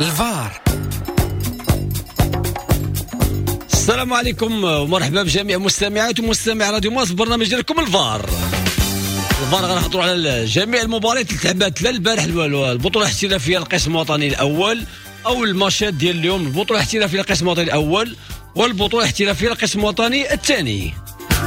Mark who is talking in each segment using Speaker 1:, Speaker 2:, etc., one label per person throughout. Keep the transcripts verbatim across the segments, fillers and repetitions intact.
Speaker 1: الفار.
Speaker 2: السلام عليكم ومرحبا بجميع مستمعات ومستمعي راديو مارس، برنامج ديالكم الفار. الفار غنهضروا على جميع المباريات اللي تلعبات لا البارح، البطولة الاحترافية القسم الوطني الاول، او الماتشات ديال اليوم البطولة الاحترافية القسم الوطني الاول والبطوله الاحترافية القسم الوطني الثاني.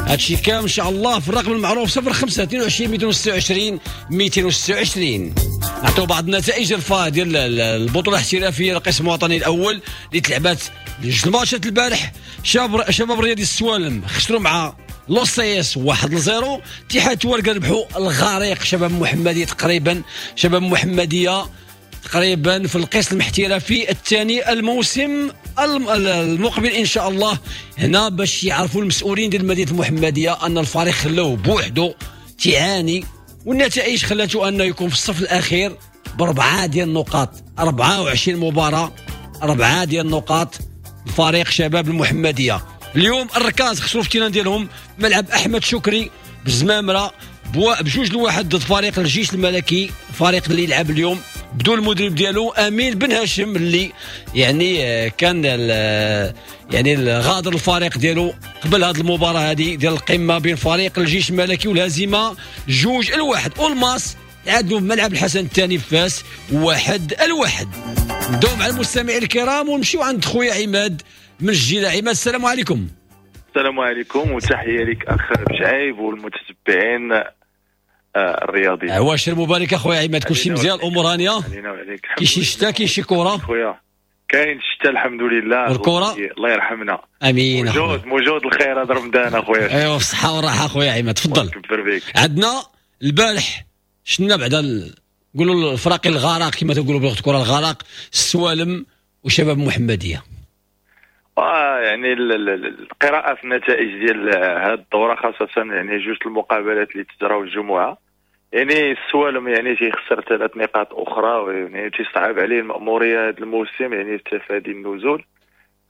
Speaker 2: هادشي كامل ان شاء الله في الرقم المعروف صفر خمسة اثنين وعشرين مئتين وستة وعشرين مئتين وستة وعشرين. نعطيو بعض النتائج الفا ديال البطولة الاحترافية القسم الوطني الاول اللي تلعبات جوج الماتشات البارح. شباب شباب رياضي السوالم خسروا مع لوسيس واحد لصفر. اتحاد تواركة ربحوا الغريق شباب محمديه، تقريبا شباب محمديه تقريبا في القسم الاحترافي الثاني الموسم المقبل ان شاء الله. هنا باش يعرفوا المسؤولين ديال مدينة المحمدية ان الفريق خلوه بوحده تعاني، والنتائج خلاته انه يكون في الصف الاخير باربعة ديال النقاط، أربعة وعشرين مباراة اربعة ديال النقاط الفريق شباب المحمدية. اليوم الركاز خسروا في ال terrain ديالهم ملعب احمد شكري بالزمامره بجوج لواحد ضد فريق الجيش الملكي، فريق اللي يلعب اليوم بدون المدرب ديالو امين بن هاشم اللي يعني كان يعني غادر الفريق ديالو قبل هذه المباراة هذه ديال القمه بين فريق الجيش الملكي والهزيمة جوج الواحد. والماس تعادلوا في ملعب الحسن الثاني في فاس واحد الواحد. نبداو مع المستمعين الكرام ونمشيو عند خويا عماد من الجيله. عماد السلام عليكم.
Speaker 3: السلام عليكم وتحية لك اخ بشعيب والمتتبعين الرياضي.
Speaker 2: عواشر مبارك اخويا عماد، كلشي مزيان، الامور هانيه؟ كاين شي شتا كاين شي كره؟
Speaker 3: خويا كاين الشتا الحمد لله،
Speaker 2: والكره
Speaker 3: الله يرحمنا.
Speaker 2: امين.
Speaker 3: موجود موجود الخير هذا رمضان اخويا.
Speaker 2: ايوا بالصحة والراحة اخويا عماد، تفضل. عندنا البارح شفنا بعدا نقولوا الفراقي الغرق كما تنقولوا بلغه الكره، الغرق السوالم وشباب محمديه.
Speaker 3: آه يعني القراءة في النتائج ديال هذه الدورة خاصة يعني جوج المقابلات اللي تجراو الجمعة، يعني السوالم يعني تيخسر ثلاث نقاط أخرى، يعني تيصعب عليه المأمورية هذا الموسم يعني تفادي النزول،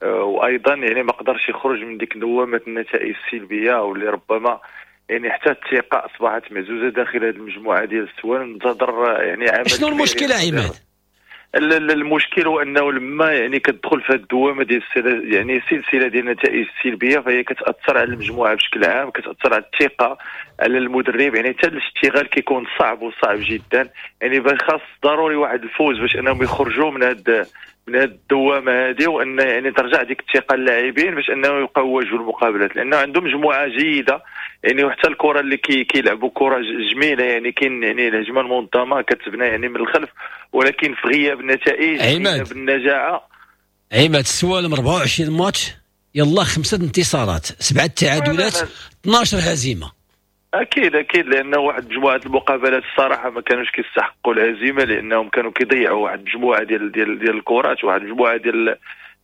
Speaker 3: آه وأيضا يعني ما قدرش يخرج من ديك دوامة النتائج السلبية واللي ربما يعني حتى الثقة أصبحت مهزوزة داخل هذه المجموعة ديال السوالم. انتظر يعني عمل.
Speaker 2: شنو المشكلة عماد؟
Speaker 3: المشكل هو انه لما يعني كتدخل في هذه الدوامة ديال يعني سلسلة ديال النتائج السلبية فهي كتاثر على المجموعة بشكل عام، كتاثر على الثقة على المدرب، يعني حتى الاشتغال كيكون صعب وصعب جدا. يعني خاص ضروري واحد الفوز باش انهم يخرجوا من هاد من هاد الدوامة هذه، وان يعني ترجع ديك الثقة للاعبين باش انهم يبقاو يواجهوا المقابلات، لانه عندهم مجموعة جيدة يعني وحتى الكره اللي كي كيلعبوا كره جميلة، يعني كاين يعني الهجمة المنظمة كتبنى يعني من الخلف، ولكن في غياب النتائج غياب النجاعه.
Speaker 2: عماد السوالم أربعة وعشرين ماتش يلا خمسة انتصارات، سبعة تعادلات، اثناش هزيمة.
Speaker 3: اكيد اكيد، لانه واحد مجموعة المقابلات الصراحة ما كانوش كيستحقوا الهزيمة، لانهم كانوا كيضيعوا واحد المجموعة ديال ديال ديال الكرات، واحد المجموعة ديال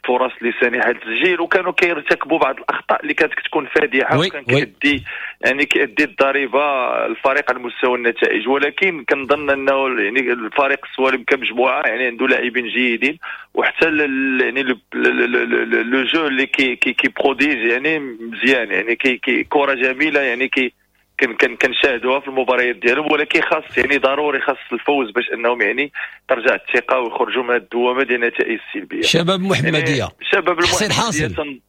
Speaker 3: الفرص اللي سانحه للتسجيل، وكانوا كيرتكبوا بعض الاخطاء اللي كانت كتكون فادحة وكان كيأدي يعني كيأدي الضريبة الفريق على مستوى النتائج. ولكن كنظن انه يعني الفريق السوالم كمجموعة يعني عنده لاعبين جيدين، وحتى يعني le jeu اللي كي كي كي produisent يعني مزيان، يعني كي كي كره جميلة يعني كي كن كنشاهدوها في المباريات ديالهم، ولكن خاص يعني ضروري خاص الفوز باش انهم يعني ترجع الثقة ويخرجوا من الدوامة ديال النتائج السلبية.
Speaker 2: شباب محمديه يعني
Speaker 3: شباب المحمدية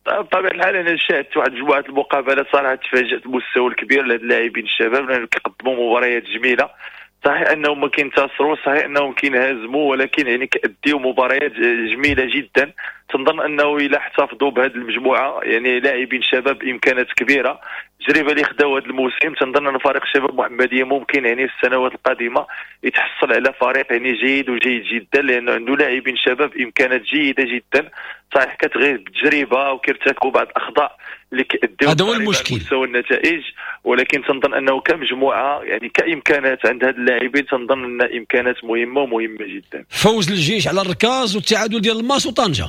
Speaker 3: بطبيعة الحال انا شاهدت واحد مجموعة المقابلات صراحة تفاجات بالمستوى الكبير لهاد اللاعبين الشباب، لانهم كيقدموا مباريات جميلة. صحيح انهم ما كينتصروا، صحيح انهم كينهزموا، ولكن يعني كيأديو مباريات جميلة جدا. تنظن انه الا احتفظوا بهذه المجموعة يعني لاعبين شباب بامكانات كبيرة، التجربة اللي خداو هذا الموسم، تنظن ان فريق شباب محمديه ممكن يعني في السنوات القادمة يتحصل على فريق يعني جيد وجيد جدا، لانه عنده لاعبين شباب بامكانات جيدة جدا. صحيح كتغيب بالتجربة وكيرتكبوا بعض الاخطاء اللي كيأديو
Speaker 2: هذا هو المشكل
Speaker 3: مستوى النتائج، ولكن تنظن انه كمجموعة يعني كامكانات عند هاد اللاعبين تنظن ان امكانات مهمة ومهمة جدا.
Speaker 2: فوز الجيش على الركاز والتعادل ديال الماس وطنجه،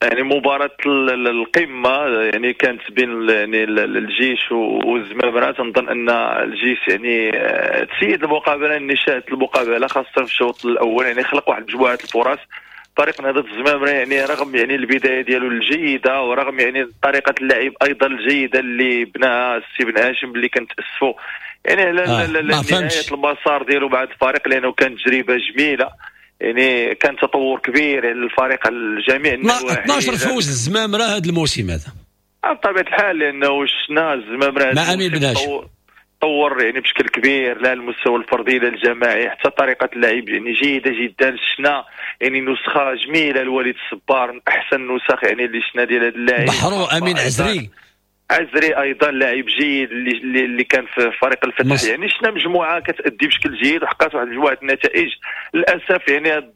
Speaker 3: يعني مباراة القمة يعني كانت بين يعني الجيش والزمامرة. تنظن أن الجيش يعني تسيد المقابلة، يعني شاهدت المقابلة خاصة في الشوط الأول، يعني خلق واحد مجموعة الفرص. فريق نهضة الزمامرة يعني رغم يعني البداية ديالو الجيدة ورغم يعني طريقة اللعب أيضا الجيدة اللي بناها السي بن هاشم اللي كنتأسفوا يعني على آه نهاية المسار ديالو مع الفريق، لأنه كانت تجربة جميلة. يعني كان تطور كبير للفريق على جميع النواحي.
Speaker 2: اثنا عشر فوز الزمامره هذا الموسم هذا.
Speaker 3: بطبيعة الحال، لانه شفنا الزمامره
Speaker 2: مع امين بن هاشم
Speaker 3: طور يعني بشكل كبير، لا المستوى الفردي لا الجماعي، حتى طريقه اللعب يعني جيدة جدا. شفنا يعني نسخه جميلة لوليد الصبار، من احسن النسخ يعني اللي شفنا ديال هذا اللاعب.
Speaker 2: بحرو امين عزري.
Speaker 3: عزري ايضا لاعب جيد اللي اللي كان في فريق الفتح مص... يعني شفنا مجموعة كتأدي بشكل جيد وحققت واحد مجموعة النتائج. للاسف يعني هذا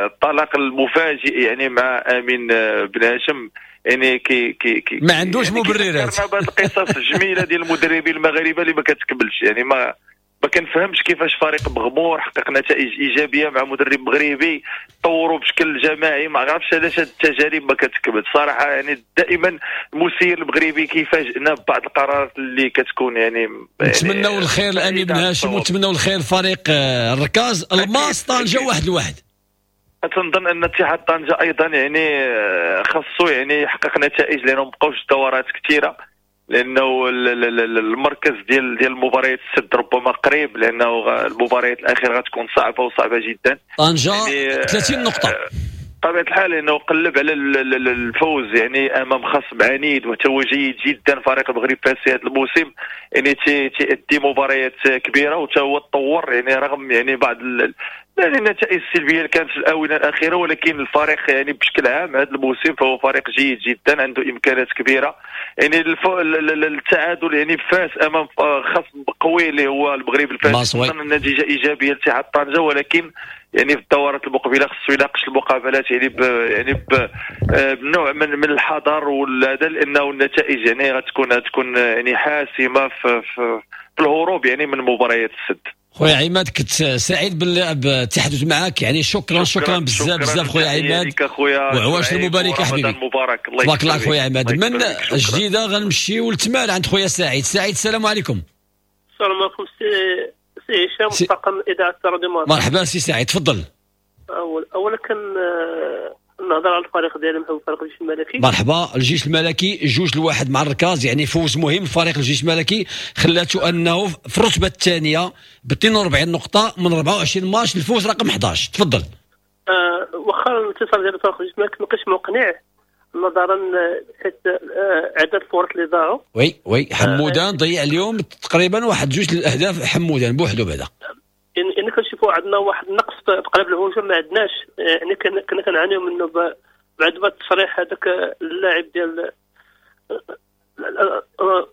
Speaker 3: الطلاق المفاجئ يعني مع امين بن هاشم يعني كي كي كي
Speaker 2: ما عندوش يعني مبررات.
Speaker 3: بعض القصص الجميلة ديال المدربين المغاربة اللي ما كتكملش، يعني ما ما كنفهمش كيفاش فريق مغمور حقق نتائج ايجابية مع مدرب مغربي، طوروا بشكل جماعي، ما عرفتش علاش هاد التجارب ما كتكمل صراحه. يعني دائما المسير المغربي كيفاجئنا ببعض القرارات اللي كتكون يعني, يعني
Speaker 2: نتمنوا الخير لامين بن هاشم ونتمنوا الخير لفريق آه، الركاز. الماس طنجه واحد لواحد.
Speaker 3: تنظن ان اتحاد طنجه ايضا يعني آه، خاصو يعني يحقق نتائج، لانه مابقاوش دورات كثيره، لانه المركز ديال ديال المباريات السد ربما قريب، لانه المباريات الاخيرة غتكون صعبة وصعبة جدا.
Speaker 2: طنجه يعني ثلاثين نقطه.
Speaker 3: بطبيعة الحال، لانه قلب على الفوز يعني امام خصم عنيد وهو جيد جدا. فريق المغرب فاسي هذا الموسم يعني تيأدي مباريات كبيرة وتا هو تطور، يعني رغم يعني بعض يعني النتائج السلبية اللي كانت في الاونة الاخيره، ولكن الفريق يعني بشكل عام هذا الموسم فهو فريق جيد جدا، عنده امكانيات كبيره. يعني التعادل يعني فاس امام خصم قوي اللي هو المغرب الفاسي، النتيجة ايجابية لاتحاد طنجه، ولكن يعني في الدورات المقبلة خصو يناقش المقابلات يعني ب يعني ب بنوع من من الحذر وهذا، لانه النتائج يعني غتكون غتكون يعني حاسمة في, في, في الهروب يعني من مباريات السد.
Speaker 2: خويا عماد، كنت سعيد بالتحدث معك، يعني شكرا شكرا بزاف بزاف خويا عماد.
Speaker 3: وعواشر
Speaker 2: مبارك حبيبي.
Speaker 3: مبارك.
Speaker 2: الله تبارك الله خويا عماد. من جديدة غنمشيو لتمار عند خويا سعيد. سعيد، السلام عليكم.
Speaker 1: السلام عليكم سي سي هشام، طاقم اذاعة راديو.
Speaker 2: مرحبا سي سعيد، تفضل.
Speaker 1: اول اولا كان نهضر على الفريق ديالي محمد، فريق الجيش الملكي.
Speaker 2: مرحبا. الجيش الملكي جوج لواحد مع الركاز، يعني فوز مهم فريق الجيش الملكي، خلاته انه في الرتبة الثانية ب اثنين وأربعين نقطة من أربعة وعشرين ماتش، الفوز رقم أحد عشر. تفضل.
Speaker 1: آه واخا الانتصار ديال فريق الجيش الملكي ما كانش مقنع نظرا حيت آه عدد الفرص اللي ضاعوا.
Speaker 2: oui oui حمودان ضيع اليوم تقريبا واحد جوج الاهداف، حمودان بوحدو بعدا.
Speaker 1: يعني كنشوفوا عندنا واحد النقص في قلب الهجوم، ما عندناش، يعني كنا كنعانيو منه بعد ما التصريح هذاك اللاعب ديال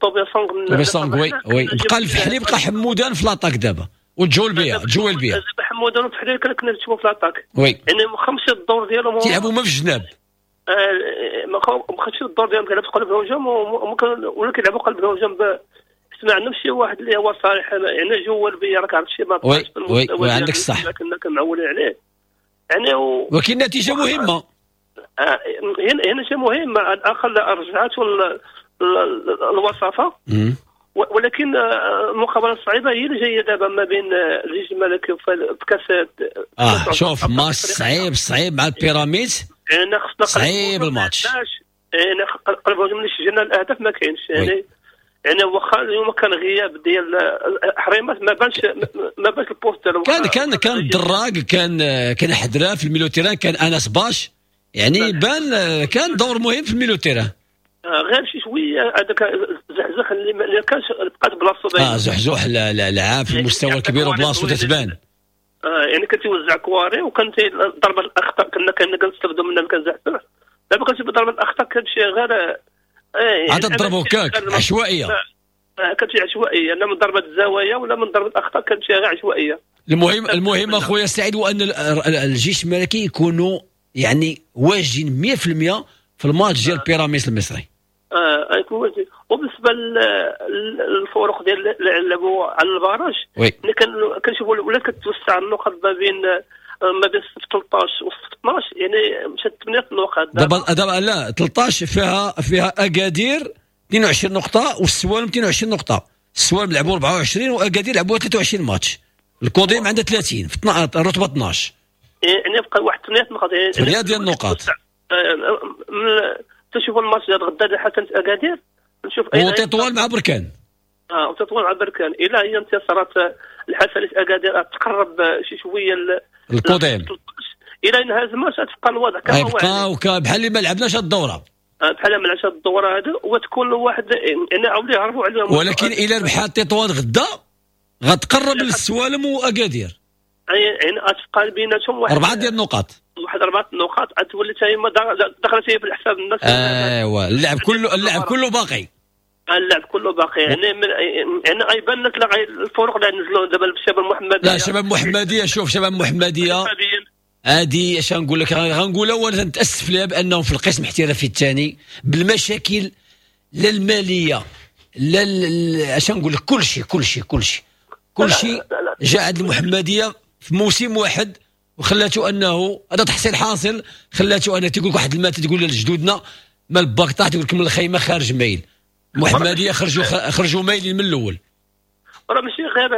Speaker 1: طوبيا سونغ.
Speaker 2: طوبيا سونغ، oui oui بقى الفحلي، بقى حمودان في l'attaque دابا وجول بيا جوال بيا.
Speaker 1: حمودان وفحلي كنا كنشوفوا في l'attaque.
Speaker 2: oui
Speaker 1: يعني خمسة الدور ديالهم
Speaker 2: تيلعبوا ما في الجناب.
Speaker 1: آه، ما خدش الدور ديالهم، كيلعبوا في قلب الهجوم ولا كيلعبوا قلب الهجوم، ما عندهمش شي واحد اللي هو صالح، يعني جوال بيا راك عرفت شي ما
Speaker 2: oui oui oui عندك الصح.
Speaker 1: كنا كنعولين عليه يعني و...
Speaker 2: ولكن النتيجة مهمه.
Speaker 1: آه هنا هنا شيء مهم، على الاقل رجعت الوصافه، ولكن آه، المقابلة الصعيبه هي اللي جاية دابا ما بين الجيش الملكي في كاس.
Speaker 2: اه شوف، ماتش صعيب صعيب مع البيراميدز.
Speaker 1: يعني خصنا
Speaker 2: صعيب الماتش.
Speaker 1: يعني قلب الهجوم اللي سجلنا الاهداف ما كاينش، يعني يعني واخا اليوم كان غياب ديال حريمات ما بانش ما بانش ال poste ديالو.
Speaker 2: كان كان كان الدراق، كان كان حدرا في ال milieu terrain، كان انس باش، يعني بان كان دور مهم في ال milieu terrain.
Speaker 1: آه، غير شي شوية هذاك زحزح اللي ما كانش بقات بلاصتو.
Speaker 2: اه زحزوح لعاب في المستوى الكبير وبلاصتو تتبان.
Speaker 1: آه يعني كان تيوزع كواري وكان ضربه الاخطاء كنا كنا كنستافدوا منها، كان زحزح. دابا كنشوف ضربه الاخطاء كتمشي غير
Speaker 2: آه عاد تضربوا كاك عشوائيه.
Speaker 1: آه، كتمشي عشوائيه، لا من ضربه الزوايا ولا من ضربه الاخطاء، كتمشي غير عشوائيه.
Speaker 2: المهم المهم اخويا سعيد هو ان الجيش الملكي يكونوا يعني واجدين مية في المية في الماتش ديال بيراميدز المصري.
Speaker 1: اه يكون واجد. وبالنسبة للفرق ديال اللي لعبوا على ال barrage،
Speaker 2: oui
Speaker 1: كنشوفوا ولات كتوسع النقط ما بين ما بين ثلاثة عشر و اثنا عشر، يعني مشات ثمانية النقاط.
Speaker 2: دابا دابا لا، ثلاثة عشر فيها فيها اكادير اثنين وعشرين نقطة والسوالم اثنين وعشرين نقطه. السوالم لعبوا أربعة وعشرين واكادير لعبوا ثلاثة وعشرين ماتش. الكوديم عندها ثلاثين في الرتبة اثنا عشر.
Speaker 1: يعني بقى واحد ثمانية نقاط.
Speaker 2: يعني ثمانية ديال النقاط.
Speaker 1: تشوف الماتش ديال غدا حسن اكادير نشوف.
Speaker 2: وتطوان مع بركان.
Speaker 1: اه وتطوان مع بركان، الى هي انتصارات الحسنة اكادير تقرب شي شوية.
Speaker 2: الكوديم.
Speaker 1: الى انهزموا تبقى الوضع كما هو،
Speaker 2: غيبقاو بحال اللي ما لعبناش الدورة،
Speaker 1: بحال ما لعبناش الدورة هذا، وتكون واحد يعني عاودوا يهربوا عليهم.
Speaker 2: ولكن الى ربحات تطوان غدا غتقرب للسوالم واكادير،
Speaker 1: يعني غتبقى بيناتهم واحد
Speaker 2: اربعة ديال النقاط،
Speaker 1: واحد اربعة النقاط غتولي حتى هي دخلت هي في الحساب الناس.
Speaker 2: ايوا اللعب كله اللعب كله باقي،
Speaker 1: اللعب كله باقي يعني من يعني غيبان لك الفروق اللي نزلوا دابا الشباب المحمدية.
Speaker 2: لا شباب محمديه، شوف شباب محمديه هادي اش غنقول لك، غنقول اولا نتاسف لها بانهم في القسم الاحترافي الثاني بالمشاكل لا المالية لا اش غنقول لك، كل شيء كل شيء كل شيء كل شيء جاء عند المحمدية في موسم واحد وخلاته انه هذا تحصيل حاصل، خلاته انه تيقول لك واحد المات تقول لجدودنا ما الباك طاح تقول لك من الخيمة خارج مايل. المحمدية خرجوا خرجوا مايلين من الاول.
Speaker 1: راه ماشي غير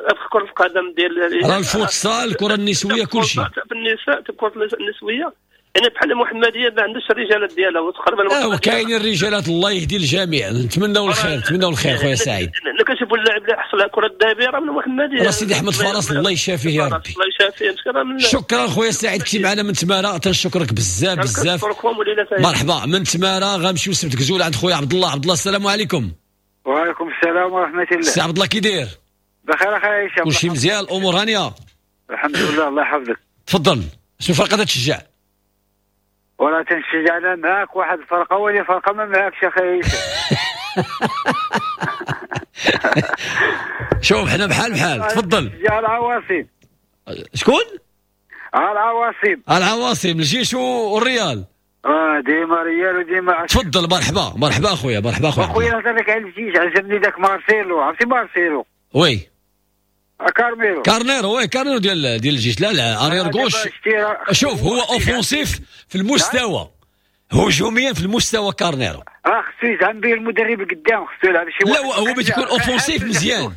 Speaker 1: في كره القدم ديال
Speaker 2: راه الفوتسال، الكره النسوية، كل شيء.
Speaker 1: في النساء الكره النسوية يعني بحال المحمدية ما عندهاش الرجالات ديالها وتقريبا.
Speaker 2: اه وكاينين الرجالات، الله يهدي الجميع، نتمناو الخير، نتمناو الخير خويا سعيد.
Speaker 1: انا كنشوفوا اللاعب اللي حصل على الكره الذهبية راه من المحمدية،
Speaker 2: راه سيدي احمد فرس الله يشافيه يا ربي.
Speaker 1: الله يشافيه.
Speaker 2: شكرا خويا سعيد كنتي معنا من تماره، تنشكرك بزاف بزاف. مرحبا من تماره غنمشيو لسبت كزول عند خويا عبد الله. عبد الله السلام عليكم.
Speaker 4: وعليكم السلام ورحمة الله.
Speaker 2: سي عبد الله كي داير؟
Speaker 4: بخير اخي هشام،
Speaker 2: كلشي مزيان، الامور هانيه؟
Speaker 4: الحمد لله الله يحفظك.
Speaker 2: تفضل، شنو الفرقة تشجع؟
Speaker 4: ولا تنشجع انا معاك واحد الفرقة ولا فرقه ما معاكش اخي هشام.
Speaker 2: شوف حنا بحال بحال. تفضل.
Speaker 4: يا العواصم.
Speaker 2: شكون؟
Speaker 4: العواصم.
Speaker 2: العواصم، الجيش والريال.
Speaker 4: اه ديما ريال وديما.
Speaker 2: تفضل مرحبا مرحبا اخويا، مرحبا اخويا.
Speaker 4: اخويا نهضر لك على الجيش، عجبني ذاك مارسيلو، عرفتي مارسيلو؟
Speaker 2: oui
Speaker 4: كارميرو.
Speaker 2: كارنيرو oui كارنيرو ديال ديال الجيش. لا لا arrière gauche. شوف هو offensif في المستوى، هجوميا في المستوى كارنيرو.
Speaker 4: اه خصو يزعم به المدرب قدام، خصو يلعب شي
Speaker 2: واحد. لا هو ملي تيكون offensif مزيان.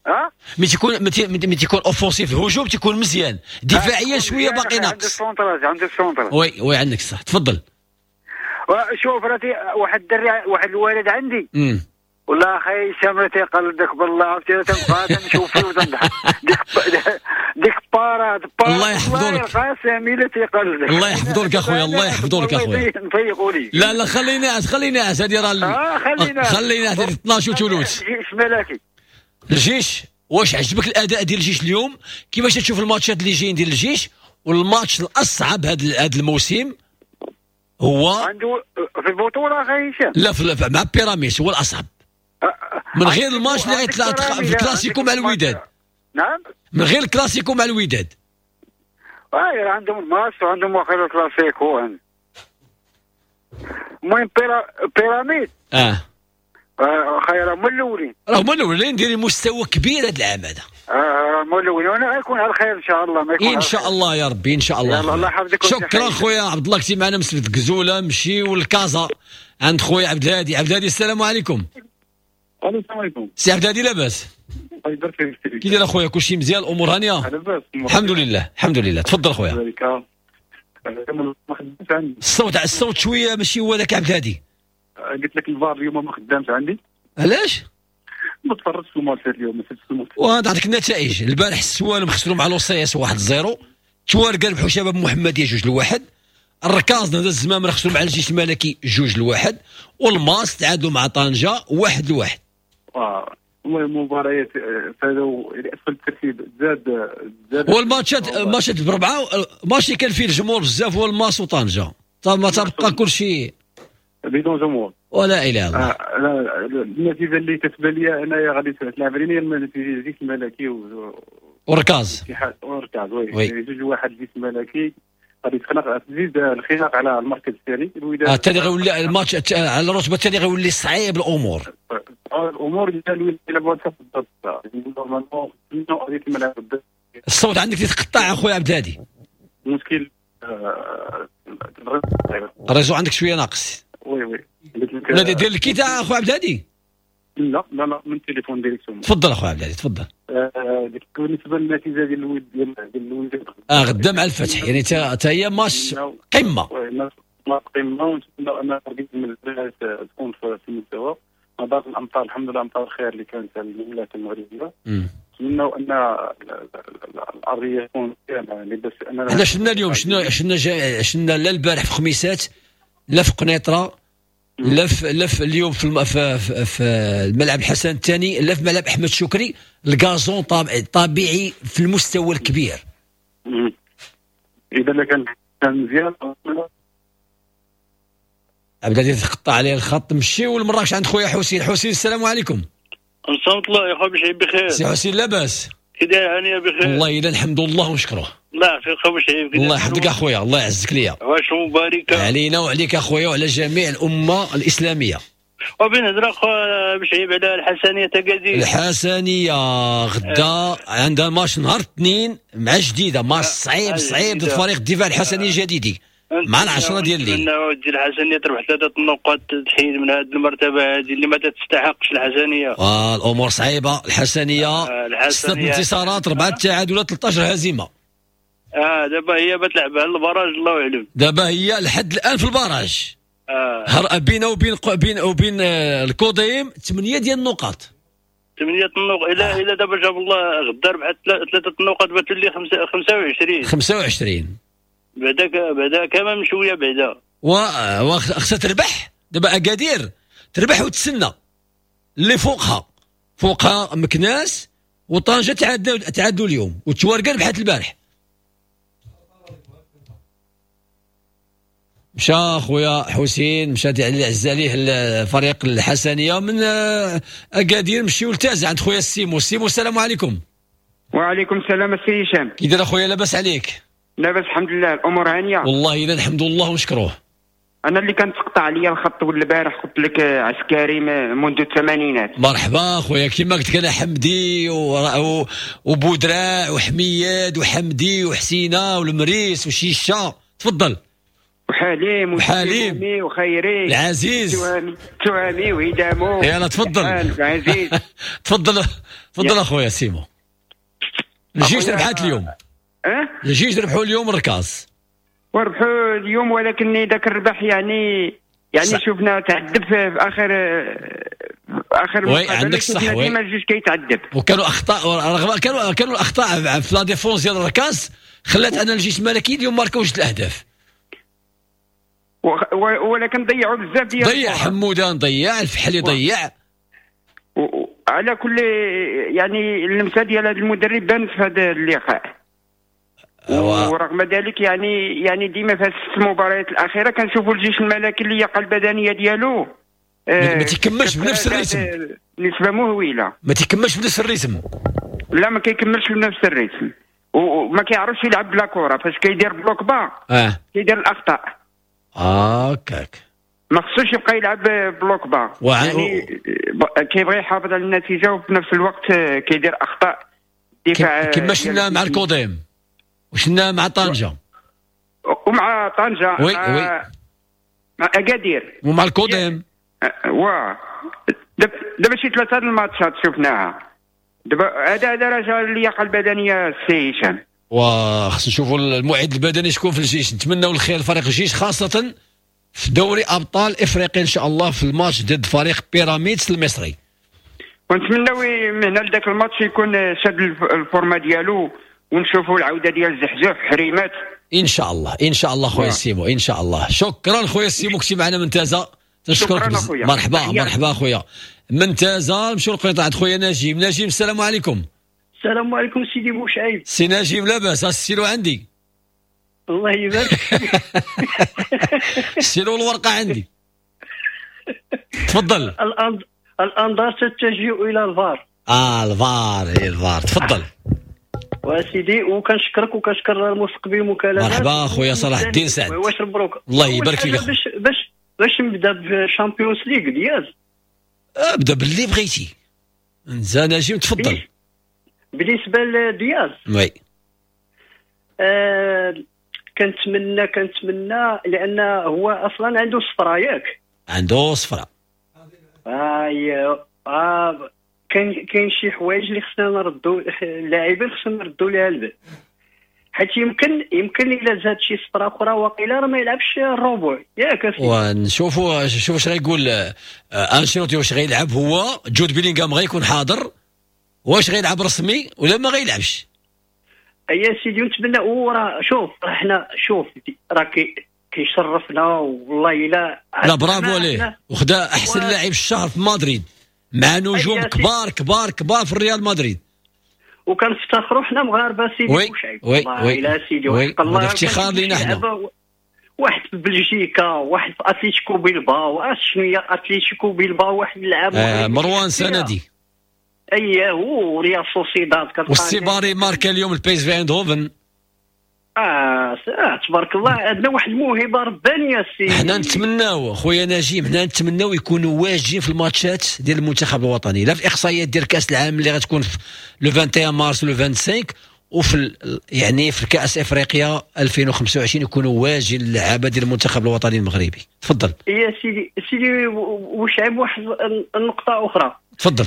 Speaker 4: اه
Speaker 2: ملي تيكون ملي تيكون offensif الهجوم تيكون مزيان، دفاعيا شوية باقي ناقص.
Speaker 4: عنده ال centrage، عنده ال centrage.
Speaker 2: oui oui عندك صح. تفضل.
Speaker 4: شوف راه واحد الدري، واحد الولد عندي
Speaker 2: امم
Speaker 4: والله اخي هشام راه تيقلدك بالله، عرفتي راه تنبقى تنشوف فيه وتنضحك. ديك ديك parade parade
Speaker 2: الله يحفظو لك
Speaker 4: القاسم الا تيقلدك.
Speaker 2: الله يحفظو لك اخويا، الله يحفظو لك اخويا.
Speaker 4: نفيقوا لي.
Speaker 2: لا لا خلينا ناعس، خلينا ناعس هذه راه
Speaker 4: اه خلينا
Speaker 2: خلينا هذه اثناش وثلث.
Speaker 4: الجيش ملكي.
Speaker 2: الجيش واش عجبك الاداء ديال الجيش اليوم؟ كيفاش تشوف الماتشات اللي جايين ديال الجيش؟ والماتش الاصعب هذا هذا الموسم هو
Speaker 4: عنده في البطولة اخي هشام.
Speaker 2: لا في مع بيراميدز هو الاصعب. من غير الماتش اللي غيطلع في الكلاسيكو مع الوداد.
Speaker 4: نعم
Speaker 2: من غير الكلاسيكو مع الوداد.
Speaker 4: اه عندهم الماتش وعندهم واخا الكلاسيكو. المهم بيراميد
Speaker 2: اه
Speaker 4: خير هما الاولين،
Speaker 2: راه هما الاولين دايرين مستوى كبير هذا العام هذا.
Speaker 4: اه هما الاولين وانا غيكون على خير ان شاء الله. ما يكون
Speaker 2: ان شاء الله يا ربي ان شاء الله.
Speaker 4: يلا الله يحفظك.
Speaker 2: شكرا خويا عبد الله كنتي معنا من سبت كزوله. نمشيو لكازا عند خويا عبد الهادي. عبد الهادي السلام عليكم.
Speaker 5: السلام عليكم.
Speaker 2: سي عبد الهادي لاباس؟
Speaker 5: الله يبارك فيك.
Speaker 2: كي داير اخويا؟ كلشي مزيان، الامور هانيه؟
Speaker 5: لاباس
Speaker 2: الحمد لله الحمد لله. تفضل خويا. الصوت الصوت شوية ماشي هو ذاك عبد الهادي.
Speaker 5: قلت لك الفار اليوم ما خدامش عندي.
Speaker 2: علاش؟
Speaker 5: ما تفرجتش في الماتش اليوم، ما شفتش الماتش.
Speaker 2: وهذا عندك النتائج البارح السوالم خسروا مع لوسياس واحد صفر، تواركا ربحوا شباب محمديه جوج لواحد، الركاز نهضة الزمام خسروا مع الجيش الملكي جوج لواحد، والماس تعادلوا مع طنجه واحد لواحد.
Speaker 5: اه المهم المباريات فازوا اسفل الترتيب زاد زاد
Speaker 2: والماتشات ماتشات بربعه، ماتش كان فيه الجمهور بزاف هو الماس وطنجه، ما تبقى كل شيء
Speaker 5: بدون جمهور
Speaker 2: ولا اله الا الله.
Speaker 5: آه لا النتيجة اللي كتبان لي انايا غادي تلعب علينا هي النتيجة الجيش الملكي و
Speaker 2: وركاز
Speaker 5: وركاز oui جوج واحد الجيش الملكي غادي تخنق تزيد الخناق على المركز الثاني.
Speaker 2: الوداد الثاني غيولي الماتش على الرتبة الثانية غيولي صعيب الامور.
Speaker 5: الامور ديال الوداد يلعبوا ضد normalement غادي تلعب ضد.
Speaker 2: الصوت عندك تيتقطع اخويا عبد الهادي.
Speaker 5: المشكل
Speaker 2: ال réseau عندك شوية ناقص.
Speaker 5: oui oui
Speaker 2: لا دير ال kit اخويا عبد الهادي.
Speaker 5: لا لا لا من التليفون directement.
Speaker 2: تفضل اخويا عبد الهادي تفضل.
Speaker 5: آه بالنسبة للنتيجة ديال الود ديال الوداد
Speaker 2: اه غدا مع الفتح، يعني تا هي ماتش قمة.
Speaker 5: oui match قمة، ونتمنى ان تركيز من البنات تكون في المستوى. نظرا للامطار، الحمد لله امطار الخير اللي كانت على المملكة المغربية. نتمنوا ان الارضية تكون مزيانه. بس
Speaker 2: انا حنا شفنا اليوم، شفنا شفنا شفنا لا البارح في خميسات، لا في قنيطره، لا في لا في اليوم في, في, في الملعب الحسن الثاني، لا في ملعب احمد شكري، ال gazon طبيعي في المستوى الكبير.
Speaker 5: اذا كان كان مزيان.
Speaker 2: عبد العزيز تقطع عليه الخط. مشيو لمراكش عند خويا حسين. حسين السلام عليكم.
Speaker 6: السلام الله يا خويا بشعيب، بخير
Speaker 2: سي حسين؟ لاباس؟
Speaker 6: كي داير؟ هانيه بخير؟
Speaker 2: والله الا الحمد لله ونشكره.
Speaker 6: الله يعافيك خويا بشعيب.
Speaker 2: الله يحفظك اخويا، الله يعزك ليا.
Speaker 6: واش مباركة
Speaker 2: علينا وعليك اخويا وعلى جميع الامة الاسلامية.
Speaker 6: وبين هضره خويا بشعيب على الحسنيه تكادير.
Speaker 2: الحسنيه غدا عندها ماتش نهار الاثنين مع جديدة، ماتش صعيب صعيب ضد فريق الدفاع الحسني الجديدي مع العشرة ديال الليل.
Speaker 6: نتمنى الحسنيه تربح ثلاثة النقاط، تحيد من هذه المرتبة هذه اللي ما تستحقش الحسنيه.
Speaker 2: آه الامور صعيبة الحسنيه، آه ستة انتصارات، اربعة تعادلات، ثلاثة عشر هزيمة.
Speaker 6: اه دابا هي بتلعب على ال barrage، الله اعلم.
Speaker 2: دابا هي لحد الان في ال barrage. آه. بينه وبين بين وبين الكوديم ثمانية ديال النقاط.
Speaker 6: ثمانية النقط الى آه. الى دابا جاب الله غدا ربحت ثلاثة النقاط بتولي خمسة وعشرين.
Speaker 2: خمسة وعشرين
Speaker 6: بعدا بعدا كمان شوية بعدا.
Speaker 2: وخصها تربح دابا اكادير، تربح وتسنى اللي فوقها، فوقها مكناس وطنجه تعادلوا تعادلوا اليوم، والتوارقه ربحت البارح. مشى خويا حسين، مشى اللي عز عليه الفريق الحسنيه من اكادير. مشيو لتازا عند خويا السيمو. السيمو السلام عليكم.
Speaker 7: وعليكم السلام السي هشام.
Speaker 2: كي داير اخويا؟ لاباس عليك؟
Speaker 7: لاباس الحمد لله، الامور هانيه
Speaker 2: والله الا الحمد لله ونشكروه.
Speaker 7: انا اللي كان تقطع عليا الخط والبارح قلت لك عسكري منذ الثمانينات.
Speaker 2: مرحبا خويا، كما قلت لك انا حمدي و... وبودراع وحمياد وحمدي وحسينه والمريس وشيشه. تفضل.
Speaker 7: وحليم
Speaker 2: وحليم
Speaker 7: وخيري
Speaker 2: العزيز
Speaker 7: تهامي وهدامو.
Speaker 2: يلا تفضل
Speaker 7: العزيز.
Speaker 2: تفضل تفضل اخويا سيمو. الجيش ربحات اليوم.
Speaker 7: اه
Speaker 2: الجيش ربحوا اليوم الركاز
Speaker 7: وربحوا اليوم، ولكن ذاك الربح يعني يعني صح. شفنا تعذب في اخر اخر
Speaker 2: oui عندك صح، oui
Speaker 7: ديما الجيش كيتعذب،
Speaker 2: وكانوا اخطاء، رغم كانوا كانوا الاخطاء في la défense ديال الركاز خلات ان الجيش الملكي اليوم ماركاو جوج الاهداف،
Speaker 7: ولكن ضيعوا بزاف ديال
Speaker 2: ضيع حمودان، ضيع الفحلي، ضيع
Speaker 7: و... على كل يعني اللمسة ديال هذا المدرب بانت في هذا اللقاء. ورغم ذلك يعني يعني ديما في الست مباريات الاخيرة كنشوفوا الجيش الملكي اللياقة البدنية ديالو
Speaker 2: آه ما تيكملش بنفس ال rythme،
Speaker 7: نسبه مهولة،
Speaker 2: ما تيكملش بنفس ال rythme.
Speaker 7: لا ما كيكملش بنفس ال rythme، وما كيعرفش يلعب بلا كره، فاش كيدير bloc bas
Speaker 2: اه
Speaker 7: كيدير الاخطاء.
Speaker 2: هكاك
Speaker 7: ما خصوش يبقى يلعب bloc bas،
Speaker 2: وع...
Speaker 7: يعني كيبغي يحافظ على النتيجة وفي نفس الوقت كيدير اخطاء دفاع.
Speaker 2: كما شفنا مع الكوديم وشنا مع طنجه
Speaker 7: ومع طنجه
Speaker 2: oui
Speaker 7: مع
Speaker 2: oui
Speaker 7: مع اكادير
Speaker 2: ومع الكوديم.
Speaker 7: وا دابا شي ثلاثة الماتشات شفناها دابا. هذا هذا رجع اللياقة البدنية السي هشام،
Speaker 2: وخص نشوفوا المعد البدني شكون في الجيش. نتمنوا الخير لفريق الجيش خاصة في دوري ابطال افريقيا ان شاء الله في الماتش ضد فريق بيراميدز المصري،
Speaker 7: ونتمنوا من هنا لذاك الماتش يكون شاد ال forme ديالو ونشوفوا العودة ديال زحزوح حريمات
Speaker 2: ان شاء الله. ان شاء الله خويا سيمو، ان شاء الله. شكرا خويا سيمو، كنتي معنا من تازا، تنشكرك. مرحبا مرحبا خويا من تازا. نمشيو للقنيطره عند خويا نجيب. نجيب السلام عليكم.
Speaker 8: السلام عليكم سيدي بوشعيب.
Speaker 2: سي نجيب لاباس؟ السيلو عندي.
Speaker 8: الله يبارك.
Speaker 2: السيلو الورقة عندي. تفضل.
Speaker 8: الانظار تتجه الى الفار.
Speaker 2: اه الفار، هي الفار. تفضل
Speaker 8: وسيدي، وكنشكرك وكنشكر المستقبل المكالمات.
Speaker 2: مرحبا خويا صلاح الدين سعد.
Speaker 8: واش مبروك.
Speaker 2: الله يبارك فيك.
Speaker 8: باش باش باش نبدا ب Champions League دياز.
Speaker 2: ابدا باللي بغيتي انت نجيب، تفضل.
Speaker 8: بالنسبة لدياز
Speaker 2: oui
Speaker 8: آه كنتمنى كنتمنى لان هو اصلا عنده صفرة، ياك؟
Speaker 2: عنده صفرة.
Speaker 8: آه آه كاين كاين شي حوايج اللي خصنا نردو اللاعبين، خصنا نردو ليها البال. حيت يمكن يمكن الا زاد شي صفرة اخرى واقيلا راه ما يلعبش الربع ياك.
Speaker 2: ونشوفوا شوفوا واش غيقول انشيلوتي، واش غيلعب هو جود بيلينغهام غيكون حاضر، واش غيلعب رسمي ولا ما غيلعبش.
Speaker 8: يا سيدي نتمنى. وراه شوف حنا شوف راه كيشرفنا والله الا
Speaker 2: لا برافو عليه، وخدا احسن و... لاعب الشهر في مدريد مع نجوم كبار كبار كبار في الريال مدريد،
Speaker 8: وكنفتخروا حنا مغاربة سيدي بوشعيب والله الا سيدي
Speaker 2: وحق الله افتخار لينا حنا.
Speaker 8: واحد في بلجيكا، واحد في اتليتيكو بيلباو، شنو هي اتليتيكو بيلباو واحد اللاعب
Speaker 2: آه مروان سندي
Speaker 8: اييه وريال سوسيداد
Speaker 2: والسيباري ماركا اليوم البيس في اندهوفن.
Speaker 8: آه, اه تبارك الله عندنا واحد الموهبة ربانية سي.
Speaker 2: حنا نتمناو خويا نجيم، حنا نتمناو يكونوا واجدين في الماتشات ديال المنتخب الوطني، لا في الاحصائيات ديال كاس العالم اللي غتكون في le واحد وعشرين مارس le خمسة وعشرين، وفي يعني في كاس افريقيا ألفين وخمسة وعشرين يكونوا واجدين اللعابه ديال المنتخب الوطني المغربي. تفضل
Speaker 8: يا سيدي. سيدي وشعب واحد النقطة اخرى.
Speaker 2: تفضل.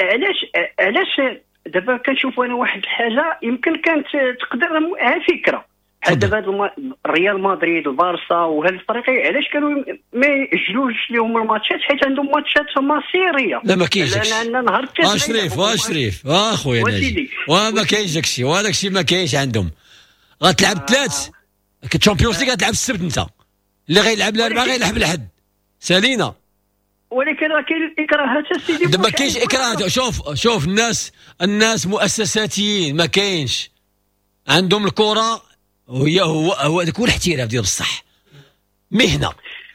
Speaker 8: علاش علاش دابا كنشوف انا واحد الحاجة يمكن كانت تقدر فكرة بحال دابا ريال مدريد البارسا وهاد الفريق علاش كانوا ما يأجلوش لهم الماتشات؟ حيت عندهم ماتشات مصيرية.
Speaker 2: لا ما كاينش داكشي.
Speaker 8: لان نهار
Speaker 2: الثلاث اشريف اشريف اخويا ناجي وما كاينش داكشي، وهذاك الشيء ما كاينش عندهم. غتلعب الثلاث الشامبيونز ليغ غتلعب السبت، انت اللي غيلعب الاربعاء غيلعب الحد سالينا.
Speaker 8: ولكن راه كاين الاكراهات سيدي.
Speaker 2: دابا ما كاينش اكراهات. شوف شوف الناس الناس مؤسساتيين ما كاينش عندهم الكره، وهي هو هو هذاك هو الاحتراف ديال بصح مهنة.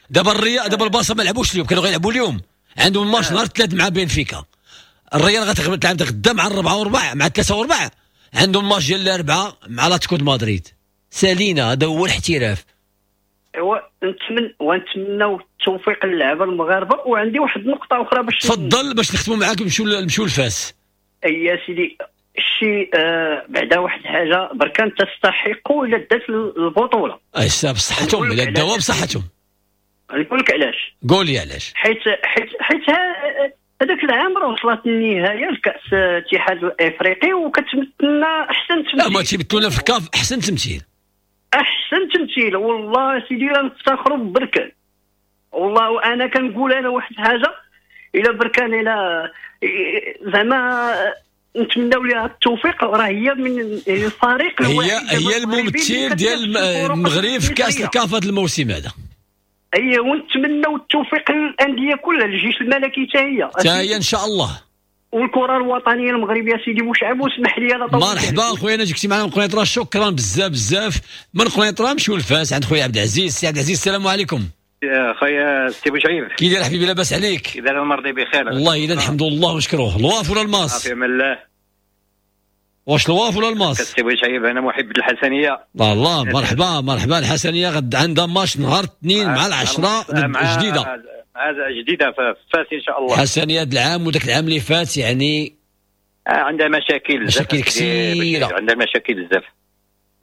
Speaker 2: دابا الريال دابا البارسا ما لعبوش اليوم، كانوا غيلعبوا اليوم، عندهم الماتش نهار الثلاث مع بنفيكا. الريال غتلعب غدا مع الربعه وربع مع الثلاثة وربع، عندهم الماتش ديال الاربعة مع لاتكو مدريد. سالينا هذا هو الاحتراف.
Speaker 8: ونتمنى ونتمناو التوفيق للعابه المغاربة. وعندي واحد النقطة اخرى باش
Speaker 2: تفضل باش نختموا معاك نمشيو نمشيو لفاس.
Speaker 8: اي يا سيدي شي آه بعدا واحد الحاجة بركان تستحق الا دات البطولة.
Speaker 2: اي بصحتهم الا داوها بصحتهم.
Speaker 8: نقول لك علاش.
Speaker 2: قول لي علاش.
Speaker 8: حيت حيت حيت هذاك العام راه وصلت النهاية لكاس الاتحاد الافريقي وكتمثلنا احسن تمثيل.
Speaker 2: لا ما تيمثلونا في الكاف احسن تمثيل.
Speaker 8: احسن تمثيل والله سيدي راه نفتخروا ببركان والله. وانا كنقول انا واحد الحاجة الى بركان الى زعما نتمناو لها التوفيق، راه هي من الفريق
Speaker 2: هي هي الممثل ديال المغرب في كاس الكاف هذا الموسم هذا.
Speaker 8: اي ونتمناو التوفيق للاندية كلها، الجيش الملكي حتى هي
Speaker 2: حتى هي ان شاء الله،
Speaker 8: والكره الوطنية المغربية سيدي بوشعب. واسمح لي انا
Speaker 2: مرحبا خويا، انا جيتي معنا من قنيطره، شكرا بزاف بزاف. من قنيطره نمشيو لفاس عند خويا عبد العزيز. سي عبد العزيز السلام عليكم.
Speaker 9: يا خويا سي بوشعيب،
Speaker 2: كي داير حبيبي؟ لاباس عليك؟
Speaker 9: كي داير المرضي بخير
Speaker 2: والله الا الحمد لله ونشكروه. الواف ولا الماس؟
Speaker 9: في امان الله.
Speaker 2: واش الواف ولا الماس؟
Speaker 9: سي بوشعيب انا محب الحسنيه.
Speaker 2: الله الله مرحبا مرحبا. الحسنيه غد عندها ماتش نهار الاثنين مع العشرة جديدة،
Speaker 9: هذا جديدة في فاس ان شاء الله.
Speaker 2: حسنيه هذا العام وذاك العام اللي فات يعني
Speaker 9: آه عندها مشاكل
Speaker 2: مشاكل كثيرة،
Speaker 9: عندها مشاكل بزاف.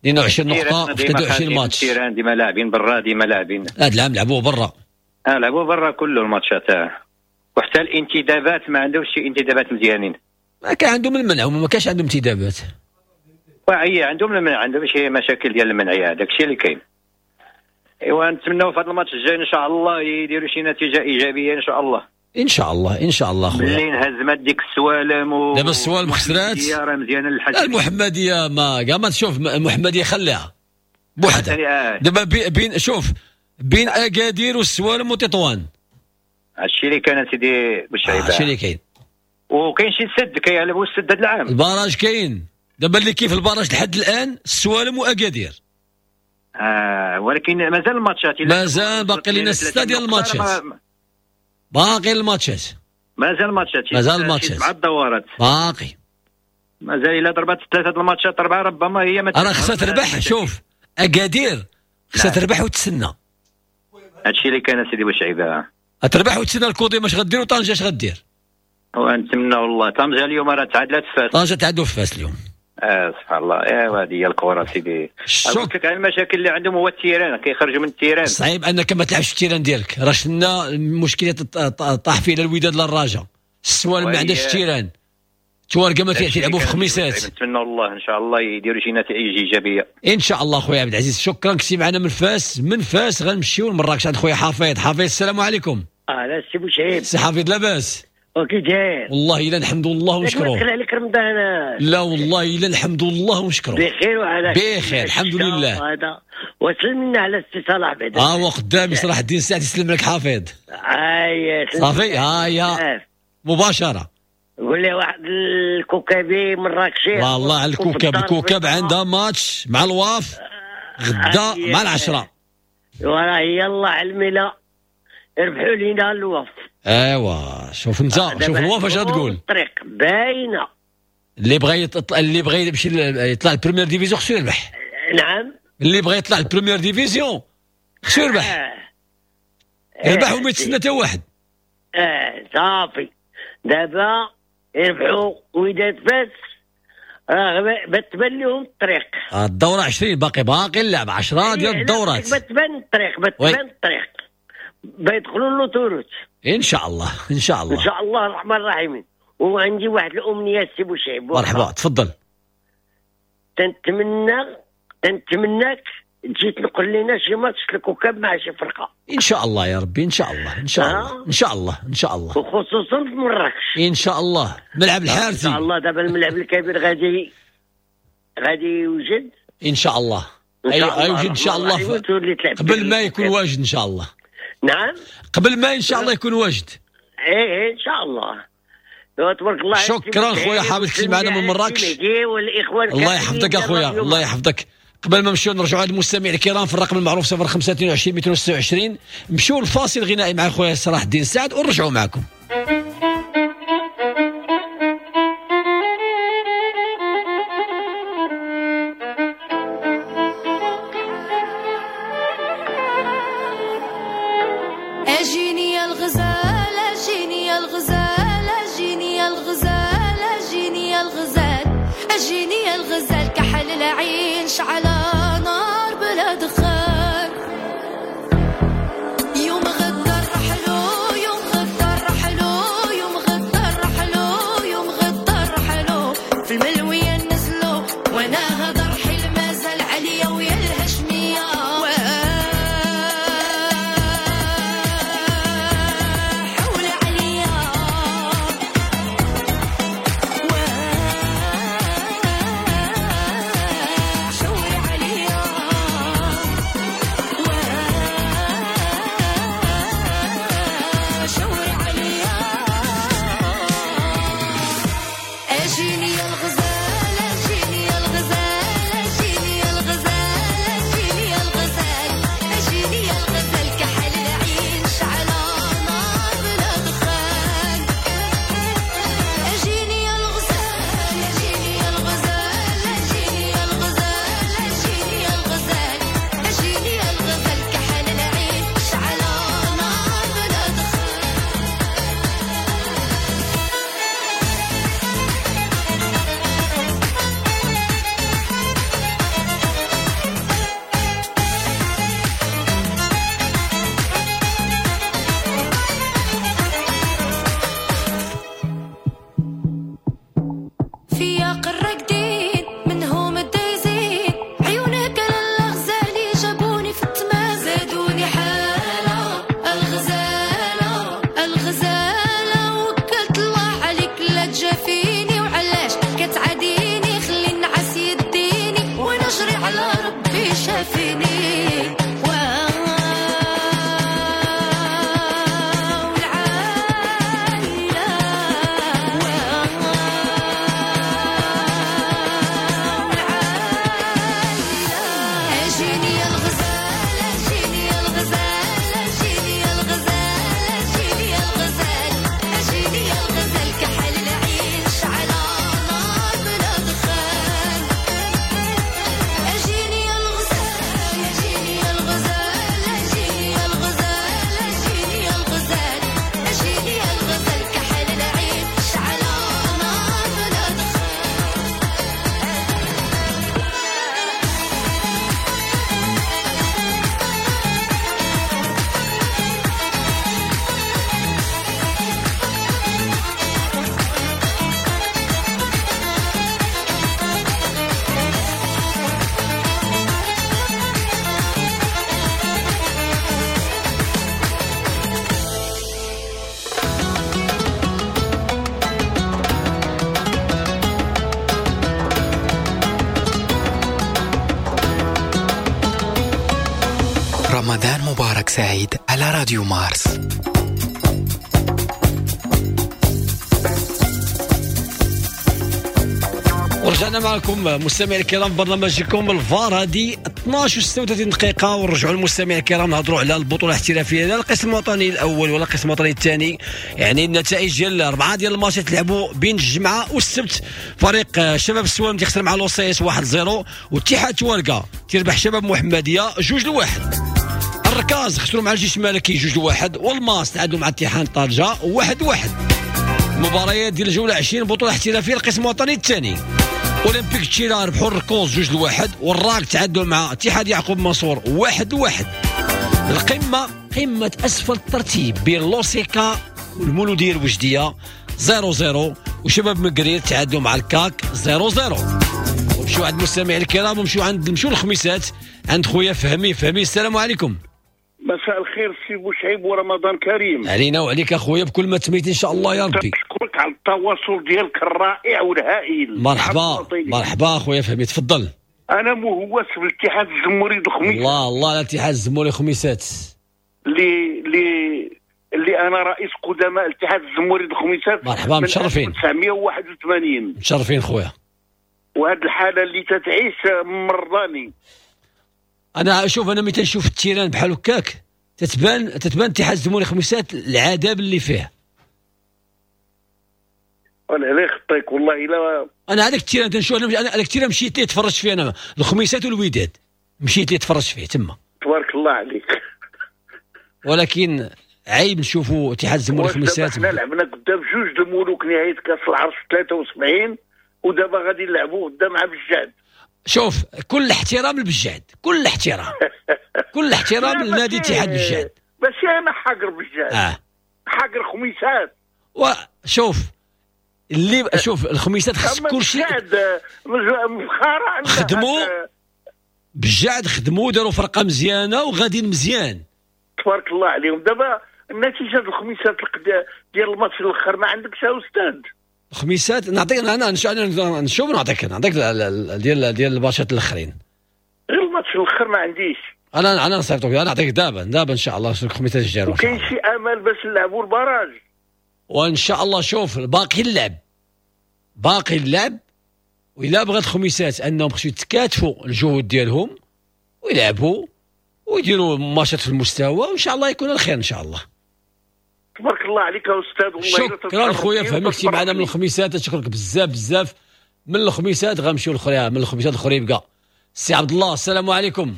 Speaker 2: اثنين وعشرين نقطة في ثلاثة وعشرين ماتش.
Speaker 9: ديما لاعبين برا، ديما لاعبين.
Speaker 2: هذا العام لعبوه برا.
Speaker 9: اه لعبوه برا كله الماتشات، وحتى الانتدابات ما عندهمش شي انتدابات مزيانين.
Speaker 2: ما كان عندهم المنع وما كانش عندهم انتدابات.
Speaker 9: وهي عندهم المنع، عندهم شي مشاكل ديال المنع، هذاك الشيء اللي كاين. ايوا نتمناو في هذا الماتش الجاي ان شاء الله يديروا شي نتيجة ايجابية ان شاء الله.
Speaker 2: ان شاء الله ان شاء الله خويا.
Speaker 9: ملي انهزمت ديك السوالم و
Speaker 2: دابا السوالم خسرات
Speaker 9: راه مزيانه للحسنيه.
Speaker 2: المحمدية ما كاع ما تشوف المحمدية خليها بوحدها دابا بين شوف بين اكادير والسوالم وتطوان.
Speaker 9: هادشي اللي كان سيدي بوشعيب،
Speaker 2: هادشي اللي كاين.
Speaker 9: وكاين شي سد كيعلبوا السد هذا العام،
Speaker 2: ال barrage كاين دابا اللي كيف ال barrage لحد الان السوالم واكادير.
Speaker 9: آه ولكن مازال الماتشات،
Speaker 2: مازال باقي لنا ستة ديال الماتشات، باقي الماتشات،
Speaker 9: مازال الماتشات،
Speaker 2: مازال الماتشات
Speaker 9: سبعة الدورات
Speaker 2: باقي،
Speaker 9: مازال الا ضربت ثلاثة الماتشات اربعة ربما هي ما
Speaker 2: راه خصها تربح. شوف اكادير خصها تربح وتسنى،
Speaker 9: هادشي اللي كان سيدي بوشعيب،
Speaker 2: تربح وتسنى الكوديم اش غدير وطنجه اش غدير.
Speaker 9: ونتمنى والله طنجه اليوم راه تعادلات في فاس،
Speaker 2: طنجه تعادلوا في فاس اليوم.
Speaker 9: اه سبحان الله، ايوا هذه هي الكره سيدي. قلت لك على المشاكل اللي عندهم هو ال terrain، كيخرجوا من ال terrain.
Speaker 2: صعيب انك ما تلعبش في ال terrain ديالك، راه شفنا المشكلة طاح فيه الوداد للرجاء، السوالم ما عندهاش terrain، توارقه ما تيلعبوا في خميسات.
Speaker 9: نتمنى الله ان شاء الله يديروا شي نتائج ايجابية
Speaker 2: ان شاء الله. خويا عبد العزيز شكرا كنتي معنا من فاس. من فاس غنمشيو لمراكش عند خويا حفيظ. حفيظ السلام عليكم.
Speaker 10: اهلا سي بوشعيب.
Speaker 2: سي حفيظ لاباس؟
Speaker 10: وكي داير؟
Speaker 2: والله الا الحمد لله ونشكروه.
Speaker 10: دخل عليك رمضان؟
Speaker 2: لا والله الا الحمد لله ونشكروه.
Speaker 10: بخير وعلى
Speaker 2: بخير الحمد لله.
Speaker 10: هذا وسلمنا على السي صلاح بعدا.
Speaker 2: اه هو قدامي صلاح الدين سعد يسلم لك حفيظ.
Speaker 10: اي
Speaker 2: صافي ها هي مباشرة.
Speaker 10: قول لي واحد الكوكبي مراكشي.
Speaker 2: والله على الكوكب، الكوكب عندها ماتش مع الواف غدا مع العشرة.
Speaker 10: وراه يلا على الملا ربحوا لينا الواف.
Speaker 2: ايوا شوف انت، شوف الواف اش غتقول.
Speaker 10: الطريق باينة.
Speaker 2: اللي بغى يطلع، اللي بغى يمشي يطلع ال première division خصو يربح.
Speaker 10: نعم
Speaker 2: اللي بغى يطلع ال première division خصو يربح. آه. يربح وما يتسنى حتى واحد.
Speaker 10: اه صافي دابا يربحوا وداد فاس راه بتبان لهم الطريق.
Speaker 2: الدورة عشرين باقي باقي اللعب عشرة ديال الدورات.
Speaker 10: بتبان الطريق بتبان الطريق بيدخلوا l'autoroute
Speaker 2: ان شاء الله. ان شاء الله
Speaker 10: ان شاء الله الرحمن الرحيم. وعندي واحد الامنية سي بوشعيب.
Speaker 2: مرحبا تفضل.
Speaker 10: تنتمنى تنتمناك تجي تنقل لنا شي ماتش الكوكب مع شي فرقه
Speaker 2: ان شاء الله يا ربي. ان شاء الله ان شاء الله ان شاء الله ان شاء الله،
Speaker 10: وخصوصا في مراكش
Speaker 2: ان شاء الله. ملعب الحارثي
Speaker 10: ان شاء الله. دابا الملعب الكبير غادي غادي يوجد
Speaker 2: ان شاء الله. اي يوجد ان شاء الله قبل ما يكون واجد ان شاء الله.
Speaker 10: نعم
Speaker 2: قبل ما ان شاء الله يكون واجد.
Speaker 10: ايه ان شاء الله. تبارك الله.
Speaker 2: شكرا خويا حافظ كنتي معنا من مراكش. الله يحفظك اخويا الله يحفظك. قبل ما نمشيو نرجعوا عند المستمعين الكرام في الرقم المعروف صفر خمسة اثنين وعشرين مئتين وستة وعشرين، نمشيو للفاصل الغنائي مع خويا صلاح الدين سعد ونرجعوا معكم.
Speaker 11: اجيني يا الغزال اجيني يا الغزال اجيني يا الغزال اجيني يا الغزال اجيني يا الغزال كحل العين شعل نار بلا دخان. يوم غدا رحلو يوم غدا رحلو يوم غدا رحلو يوم غدا رحلو في الملوية نزلو وانا هذا رحل مازال عليا ويا الهشمية. حول عليا حول عليا.
Speaker 12: رمضان مبارك سعيد على راديو مارس.
Speaker 2: ورجعنا معكم مستمعي الكرام برنامجكم الفار، هذه اثناش وستة وثلاثين دقيقة، ونرجعوا للمستمعين الكرام نهضروا على البطولة الاحترافية، لا القسم الوطني الأول ولا القسم الوطني الثاني. يعني النتائج ديال أربعة ديال الماتشات تلعبوا بين الجمعة والسبت. فريق شباب السوالم تيخسر مع لوسيس واحد صفر، واتحاد تواركا تيربح شباب محمدية جوج لواحد. الركاز خسروا مع الجيش الملكي جوج لواحد، والماس تعادلوا مع اتحاد طنجة واحد واحد. مباريات ديال الجولة عشرين بطولة احترافية القسم الوطني الثاني، اولمبيك تشيلا ربحوا الركوز جوج لواحد، والراك تعادلوا مع اتحاد يعقوب منصور واحد واحد. القمه قمة اسفل الترتيب بين لوسيكا والمولوديه الوجديه صفر صفر، وشباب مقرير تعادلوا مع الكاك صفر صفر. ومشيو عند المستمعين الكرام ومشيو عند نمشيو للخميسات عند خويا فهمي. فهمي السلام عليكم.
Speaker 13: مساء الخير سي بوشعيب ورمضان كريم.
Speaker 2: علينا وعليك اخويا بكل ما تميت ان شاء الله يا ربي.
Speaker 13: نشكرك على التواصل ديالك الرائع والهائل.
Speaker 2: مرحبا مرحبا اخويا فهمي، تفضل.
Speaker 13: انا مهوس بالاتحاد الزموري الخميسات.
Speaker 2: الله الله على الاتحاد الزموري الخميسات،
Speaker 13: اللي اللي اللي انا رئيس قدماء الاتحاد الزموري الخميسات.
Speaker 2: مرحبا، متشرفين.
Speaker 13: ألف وتسعمية وواحد وثمانين.
Speaker 2: متشرفين خويا.
Speaker 13: وهاد الحالة اللي تتعيش مرضاني.
Speaker 2: انا شوف، انا ملي تنشوف ال terrain بحال هكاك تتبان تتبان اتحاد الزموري خميسات العذاب اللي فيه.
Speaker 13: انا لا يخطيك والله الا
Speaker 2: انا هذاك ال terrain تنشوف، انا هذاك ال terrain مشيت ليه تفرجت فيه انا، الخميسات والوداد مشيت ليه تفرجت فيه تما.
Speaker 13: تبارك الله عليك.
Speaker 2: ولكن عيب نشوفوا اتحاد الزموري خميسات.
Speaker 13: حنا لعبنا قدام جوج الملوك نهاية كاس العرش ثلاثة وسبعين، ودابا غادي نلعبوا قدام عبد الجعد.
Speaker 2: شوف، كل احترام للبجعد، كل احترام كل احترام لنادي اتحاد بجعد.
Speaker 13: ماشي انا حاقر بجعد، آه. حاقر خميسات. وشوف
Speaker 2: اللي شوف الخميسات خص كلشي خدموا بجعد، خدموا داروا فرقه مزيانه وغاديين مزيان
Speaker 13: تبارك الله عليهم. دابا النتيجة الخميسات ديال الماتش الاخر ما عندكش يا استاذ؟
Speaker 2: الخميسات نعطيك انا نشوف، نعطيك نعطيك ديال ديال الماتشات الاخرين.
Speaker 13: غير الماتش الاخر ما عنديش
Speaker 2: انا، انا نصيفطك، انا نعطيك دابا دابا ان شاء الله الخميسات الجاية.
Speaker 13: وكاين شي امل باش نلعبوا ال barrage؟
Speaker 2: وان شاء الله. شوف باقي اللعب، باقي اللعب، وإلا بغات الخميسات انهم خصو يتكاتفوا الجهود ديالهم ويلعبوا ويديروا ماتشات في المستوى، وان شاء الله يكون الخير ان شاء الله.
Speaker 13: تبارك الله عليك يا استاذ والله.
Speaker 2: شكرا خويا فهمتي معنا من الخميسات، نشكرك بزاف بزاف. من الخميسات غنمشيو للخريبكه، من الخميسات للخريبكه. السي عبد الله السلام عليكم.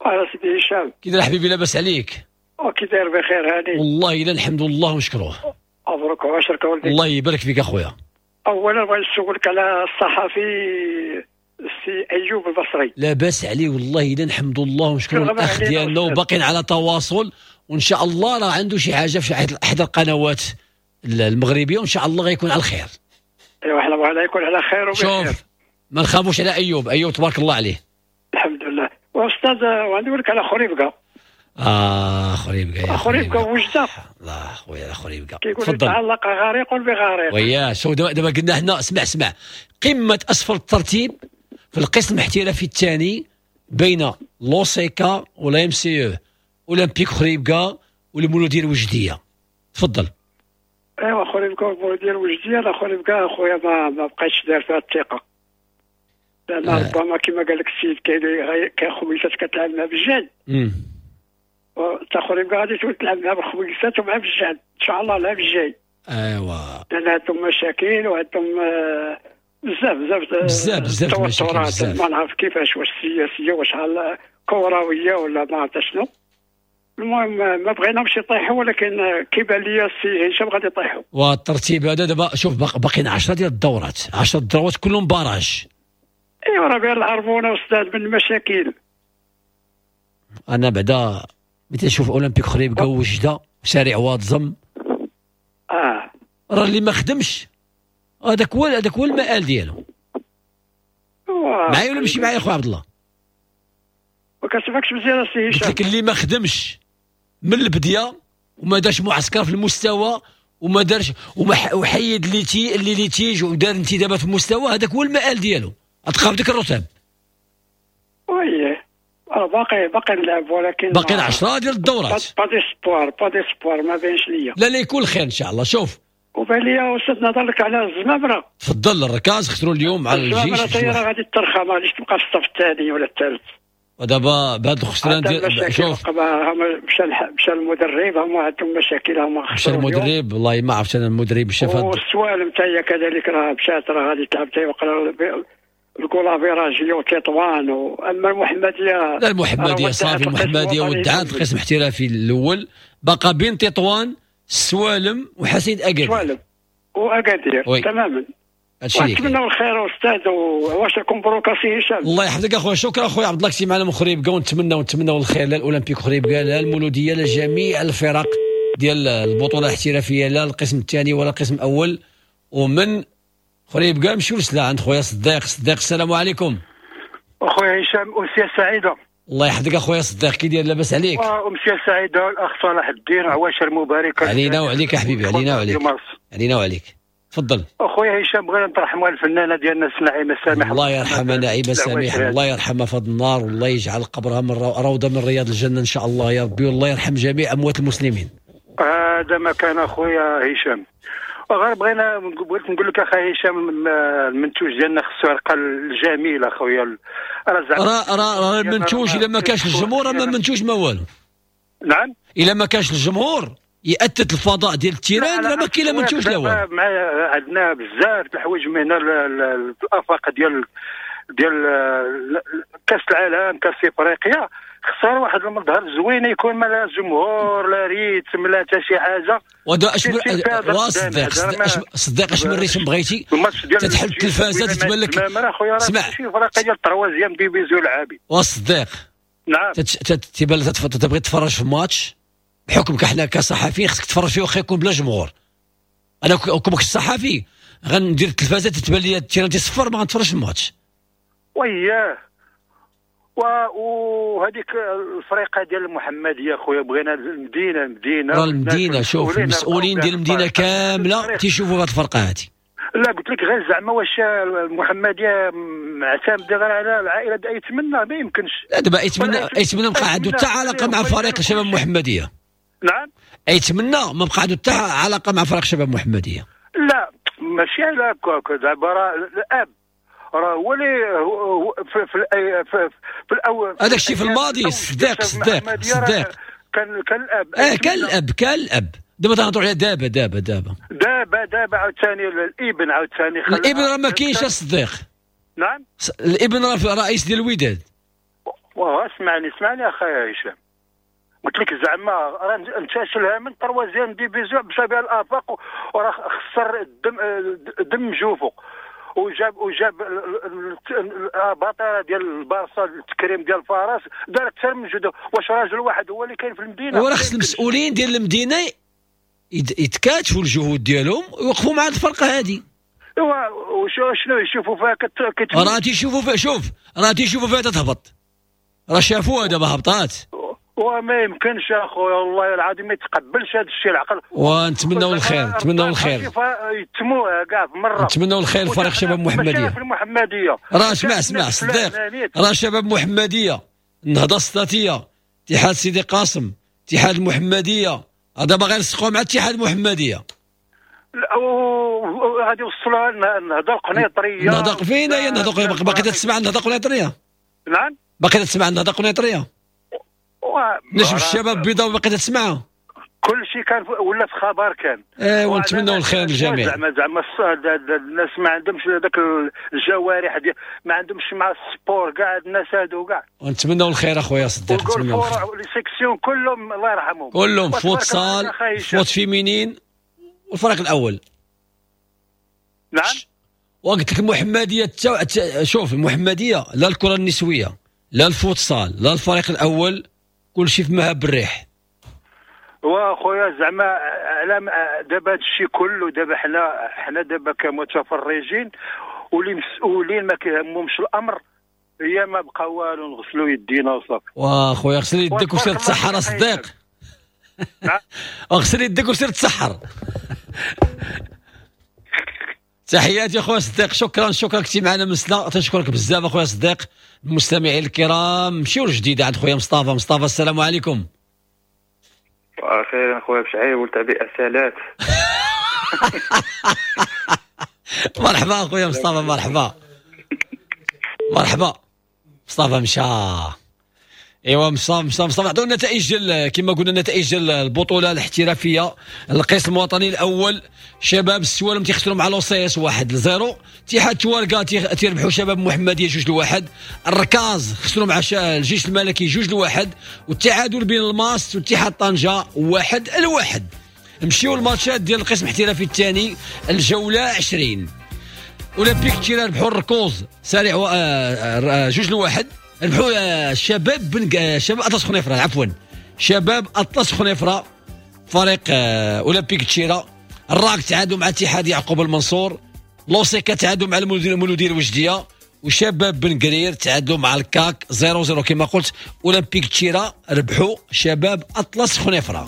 Speaker 14: وعلى سيدي هشام،
Speaker 2: كي داير حبيبي؟ لاباس عليك؟
Speaker 14: وكي داير بخير هاني
Speaker 2: والله الا الحمد لله ونشكروه.
Speaker 14: مبروك وعشرك ولدي.
Speaker 2: الله يبارك فيك اخويا.
Speaker 14: اولا بغيت نسولك على الصحفي السي ايوب البصري.
Speaker 2: لاباس عليه والله الا الحمد لله ونشكروا الاخ ديالنا، وباقيين على تواصل، وان شاء الله راه عنده شي حاجة في احدى القنوات المغربية، وان شاء الله غيكون على الخير.
Speaker 14: ايوا حنا بغينا يكون على خير وبخير.
Speaker 2: شوف ما نخافوش على ايوب، ايوب تبارك الله عليه.
Speaker 14: الحمد لله. واستاذ وعندي نقول لك على خريبكه.
Speaker 2: اه خريبكه،
Speaker 14: خريبكه وجده.
Speaker 2: الله خويا خريبكه
Speaker 14: كيقول تعلق غريق بغريق.
Speaker 2: ويا شو دابا قلنا حنا، اسمع اسمع، قمة اسفل الترتيب في القسم الاحترافي الثاني بين لوسيكا ولا MCO اولمبيك خريبكه والمولوديه الوجديه. تفضل.
Speaker 14: ايوا خريبكه والمولوديه الوجديه، لا خريبكه اخويا ما ما بقيتش داير فيها الثقة، لان آه. ربما كما قال لك السيد كاين كاين خميسات كتلعب مع بجعد، تا خريبكه غادي تولي تلعب مع الخميسات ومع بجعد ان شاء الله العام الجاي.
Speaker 2: ايوا
Speaker 14: لان عندهم مشاكل وعندهم بزاف بزاف
Speaker 2: بزاف بزاف
Speaker 14: التوترات، ما نعرف كيفاش، واش سياسية واش كروية ولا ما عرفت شنو. المهم ما بغيناهمش يطيحوا، ولكن كيبان لي السي هشام غادي يطيحوا.
Speaker 2: والترتيب هذا دابا شوف باقيين عشرة ديال الدورات، عشرة الدورات كلهم barrage.
Speaker 14: ايوا راه بين العربونه استاذ من المشاكل.
Speaker 2: انا بعدا ملي تنشوف اولمبيك خريبكه وجده وسارع وادزم،
Speaker 14: اه
Speaker 2: راه اللي ما خدمش هذاك هو هذاك هو المآل ديالو. معايا ولا ماشي معايا خويا عبد الله؟
Speaker 14: ما كنسمعكش مزيان السي هشام.
Speaker 2: قلت لك اللي ما خدمش من البديه وما دارش معسكر في المستوى وما دارش وما وحيد les ti les litiges ودار انتدابات في المستوى، هذاك هو المآل ديالو، غتبقى بديك الرتب.
Speaker 14: ويه راه باقي باقي نلعب، ولكن
Speaker 2: باقي عشرة ديال الدورات.
Speaker 14: pas d'espoir، pas d'espoir، ما بينش ليا.
Speaker 2: لا لا يكون خير ان شاء الله. شوف
Speaker 14: وبان لي استاذ نهضر لك على الزمامره.
Speaker 2: تفضل. الركاز خسروا اليوم على الجيش.
Speaker 14: الزمامره راه غادي ترخى، ما غاديش تبقى في الصف الثاني ولا الثالث.
Speaker 2: ودابا بهذا الخسران ديال شوف
Speaker 14: مشى مشى المدرب، هما عندهم مشاكل، هما
Speaker 2: مشى المدرب والله ما عرفت انا المدرب مشى فهاد.
Speaker 14: والسوالم حتى هي كذلك راه مشات، راه غادي تلعب حتى وقرا ال goal average وتطوان. واما المحمدية
Speaker 2: لا المحمدية صافي، المحمدية ودعات القسم الاحترافي الاول، بقى بين تطوان السوالم وحسين اكادير.
Speaker 14: السوالم واكادير تماما. ونتمنوا الخير استاذ، وعواشركم مبروك سي هشام.
Speaker 2: الله يحفظك اخويا، شكرا اخويا عبد الله كنتي معنا من خريبكا، ونتمنى ونتمنوا الخير لا الاولمبيك خريبكا لا المولوديه لا جميع الفرق ديال البطولة الاحترافية، لا القسم الثاني ولا القسم الاول. ومن خريبكا نمشيو لسلا عند خويا صديق. صديق السلام عليكم.
Speaker 15: اخويا هشام امسية سعيدة.
Speaker 2: الله يحفظك اخويا صديق، كي داير لاباس عليك؟
Speaker 15: امسية سعيدة الاخ صلاح الدين، عواشر مباركة
Speaker 2: علينا وعليك حبيبي، علينا وعليك، علينا وعليك. تفضل
Speaker 15: اخويا هشام. بغينا نترحموا على الفنانة ديالنا نعيمه سامح،
Speaker 2: الله يرحمها نعيمه سامح، الله يرحمها في هذا النار، والله يجعل قبرها من روضة من رياض الجنة ان شاء الله يا ربي، والله يرحم جميع اموات المسلمين.
Speaker 15: هذا ما كان اخويا هشام. وغير بغينا بغيت نقول لك اخي هشام، المنتوج ديالنا خصو يرقى الجميل اخويا.
Speaker 2: راه راه المنتوج الا ما كانش الجمهور ما منتوج ما والو.
Speaker 15: نعم،
Speaker 2: الا ما كانش الجمهور يأتت الفضاء ديال ال terrain راه ما كاين لا منتوج لا والو.
Speaker 15: عندنا بزاف الحوايج من هنا في الافاق ديال ديال كاس العالم، كاس افريقيا، خسر واحد المظهر زوين يكون ما لا جمهور لا rythme لا حتى شي حاجة.
Speaker 2: ودا اش صديق صديق اش من rythme بغيتي تتحل التلفازه تتبان لك.
Speaker 15: اسمع شي فرقه ديال troisième division العابي
Speaker 2: وصديق.
Speaker 15: نعم،
Speaker 2: تيبان لك تبغي تتفرج في ماتش بحكم كحنا كصحفيين خصك تتفرج فيه واخا يكون بلا جمهور. انا كون كنت صحفي غندير التلفازه تتبان لي ال terrain تيصفر ما غنتفرجش في الماتش.
Speaker 15: وياه وهذيك الفريقه ديال المحمدية خويا، بغينا المدينة المدينة
Speaker 2: راه المدينة. شوف المسؤولين ديال المدينة كاملة تيشوفوا هذه الفرقة هذه.
Speaker 15: لا قلت لك غير زعما واش المحمدية معتمدة غير على العائلة د ايتمنى؟ ما يمكنش.
Speaker 2: لا دابا ايتمنى ايتمنى بقى عنده حتى علاقة مع فريق شباب المحمدية.
Speaker 15: نعم،
Speaker 2: ايتمنى ما بقى عنده حتى علاقة مع فريق شباب المحمدية.
Speaker 15: لا ماشي على هكاك، دابا راه الاب راه هو اللي في في, في, في الاول
Speaker 2: هذاك الشيء في الماضي. صديق صديق صديق
Speaker 15: كان كان الاب
Speaker 2: اه كان الاب كان الاب دابا تنهضروا على دابا دابا دابا
Speaker 15: دابا دابا عاوتاني الابن عاوتاني
Speaker 2: الابن راه ما كاينش الصديق.
Speaker 15: نعم،
Speaker 2: الابن راه رئيس ديال الوداد.
Speaker 15: واه اسمعني اسمعني اخي هشام، قلت لك زعما راه انتشلها من troisième division مشى بها الافاق وراه خسر الدم دم جوفو، وجاب وجاب البطاره ديال البارسا التكريم ديال الفرس دار اكثر من جهده. واش راجل واحد هو اللي كاين في المدينة؟
Speaker 2: وراه خص المسؤولين ديال المدينة يتكاتفوا الجهود ديالهم ويوقفوا مع الفرقة هذه.
Speaker 15: ايوا وشنو يشوفوا فيها؟ كت
Speaker 2: راه تيشوفوا فيها، شوف راه تيشوفوا فيها تتهبط، راه شافوها دابا هبطات.
Speaker 15: وما يمكنش اخويا والله العظيم ما يتقبلش هذا الشيء العقل.
Speaker 2: ونتمنوا الخير، نتمنوا الخير
Speaker 15: يتموها كاع في مرة.
Speaker 2: نتمنوا الخير لفريق شباب المحمدية.
Speaker 15: في المحمدية
Speaker 2: راه اسمع اسمع صديق، راه شباب المحمدية، النهضة السطاتيه، اتحاد سيدي قاسم، اتحاد المحمدية، هذا باغي يلصقوا مع اتحاد المحمدية.
Speaker 15: غادي يوصلوها النهضة القنيطريه.
Speaker 2: النهضة فين هي النهضة؟ باقي تسمع النهضة القنيطريه؟
Speaker 15: نعم،
Speaker 2: باقي تسمع النهضة القنيطريه؟ نجم الشباب بيضاء باقي تسمعها؟
Speaker 15: كل شيء كان ولا في خبر كان.
Speaker 2: ايه ونتمنوا الخير للجميع.
Speaker 15: زعما زعما الناس ما عندهمش هذاك الجوارح ديال، ما عندهمش مع ال sport كاع الناس هادو كاع.
Speaker 2: ونتمنوا الخير اخويا صديق، نتمنوا الخير.
Speaker 15: les sections كلهم الله يرحمهم،
Speaker 2: كلهم futsal، foot féminin والفريق الاول.
Speaker 15: نعم،
Speaker 2: وقلت لك المحمدية التو... شوف المحمدية لا الكره النسوية لا الفوتسال لا الفريق الاول، كل شيء في مهب الريح.
Speaker 15: واخويا زعما على دابا هادشي كله دابا حنا حنا دابا كمتفرجين واللي مسؤولين ما كيهمهمش الامر، هي ما بقى والو نغسلوا يدينا وصافي.
Speaker 2: واخويا غسل يدك وسير تسحر صديق. اغسل يدك وسير تسحر. تحياتي اخويا صديق، شكرا شكرا كنتي معنا من سلا، تنشكرك بزاف اخويا صديق. المستمعين الكرام نمشيو لجديده عند خويا مصطفى. مصطفى السلام عليكم.
Speaker 16: واخيرا خويا بشعيب والتعبئه سالات.
Speaker 2: مرحبا اخويا مصطفى، مرحبا مرحبا. مصطفى مشى. ايوا مصطفى مصطفى مصطفى عطونا النتائج ديال كما قلنا النتائج ديال البطولة الاحترافية. القسم الوطني الاول شباب السوالم تيخسروا مع لوسيس واحد لصفر، اتحاد تواركا تيربحوا شباب محمديه جوج لواحد، الركاز خسروا مع الجيش الملكي جوج لواحد، والتعادل بين الماس واتحاد طنجه واحد لواحد. نمشيو الماتشات ديال القسم الاحترافي الثاني الجولة عشرين. اولمبيك تيرا ربحوا الركوز سريع و... جوج لواحد، ربحوا شباب بن شباب اطلس خنيفره، عفوا شباب اطلس خنيفره فريق اولمبيك تشيرا. الراك تعادلوا مع اتحاد يعقوب المنصور، لوسيكا تعادلوا مع المولوديه الوجديه، وشباب بن قرير تعادلوا مع الكاك صفر صفر. كما قلت اولمبيك تشيرا ربحوا شباب اطلس خنيفره.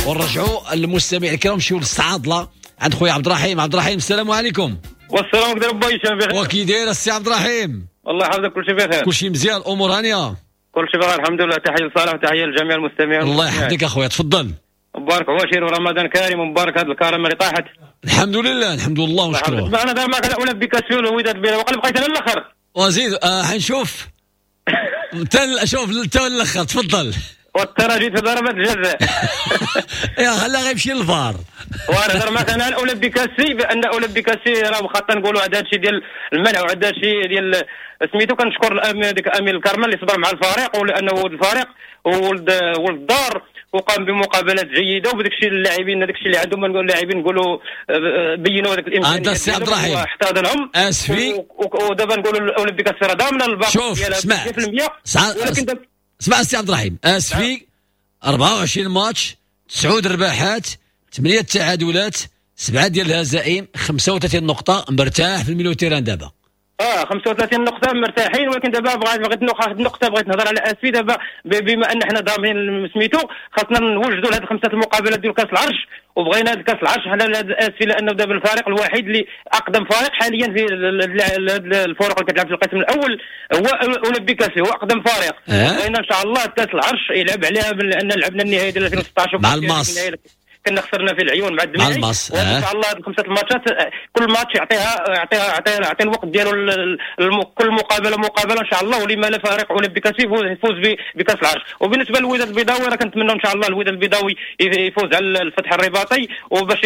Speaker 2: ونرجعوا للمستمع الكرام، نمشيو للصعادله عند خويا عبد الرحيم. عبد الرحيم السلام عليكم.
Speaker 17: والسلام عليكم با هشام، بخير
Speaker 2: وكي داير السي عبد الرحيم؟
Speaker 17: الله يحفظك، كلشي بخير،
Speaker 2: كلشي مزيان، الامور هانيه،
Speaker 17: كلشي بخير الحمد لله. تحية لصالح وتحية لجميع المستمعين.
Speaker 2: الله يحفظك اخويا، تفضل.
Speaker 17: مبارك عواشر ورمضان كريم، ومبارك هذه الكرامة اللي طاحت.
Speaker 2: الحمد لله الحمد لله ونشكروه.
Speaker 17: انا دار معك اولمبيك اسفي ووداد بيلا وقال بقيت انا الاخر
Speaker 2: وزيد. آه حنشوف تل شوف تا الاخر، تفضل.
Speaker 17: والتراجي في ضربات الجزاء.
Speaker 2: يا خلا غيمشي للفار.
Speaker 17: ونهضر معك انا على اولمبيك اسفي، بان اولمبيك اسفي راه واخا نقولوا عندها هادشي ديال المنع وعندها هادشي ديال سميتو، كنشكر ديك امين الكرمل اللي صبر مع الفريق، ولانه ولد الفريق وولد ولد الدار، وقام بمقابلات جيدة، وبداك الشيء اللاعبين هذاك الشيء اللي عندهم اللاعبين نقولوا بينوا هذاك الامكانيات.
Speaker 2: انت السي عبد الرحيم
Speaker 17: احتضنهم
Speaker 2: اسفي،
Speaker 17: ودابا نقولوا الاولمبيك اسفي راه ضامنه الباقي
Speaker 2: ديالها مية بالمية. ولكن اسمع السي عبد الرحيم، اسفي أربعة وعشرين ماتش، تسعة رباحات، ثمانية تعادلات، سبعة ديال الهزائم، خمسة وثلاثين نقطة، مرتاح في ال milieu terrain دابا.
Speaker 17: اه خمسة وثلاثين نقطة مرتاحين، ولكن دابا بغيت بغيت ناخذ نقطة، بغيت نهضر على اسفي دابا، بما ان حنا ضامنين سميتو خاصنا نوجدوا لهاد الخمسة المقابلات ديال كاس العرش، وبغينا هاد كاس العرش حنا لهاد اسفي، لانه دابا الفريق الوحيد اللي اقدم فريق حاليا في الفرق اللي كتلعب في القسم الاول هو اولمبيك اسفي، هو اقدم فريق. بغينا ان شاء الله كاس العرش يلعب عليها، لان لعبنا النهائي ديال ألفين وستة عشر
Speaker 2: مع الماس،
Speaker 17: كنا خسرنا في العيون مع الدميعي. وان شاء الله هاد الخمسة الماتشات كل ماتش يعطيها يعطيها يعطيها يعطي الوقت ديالو، كل مقابله مقابله ان شاء الله، ولما لا فريق اولمبيك اسفي يفوز بكاس العرش. وبالنسبة للوداد البيضاوي راه كنتمنى ان شاء الله الوداد البيضاوي يفوز على الفتح الرباطي، وباش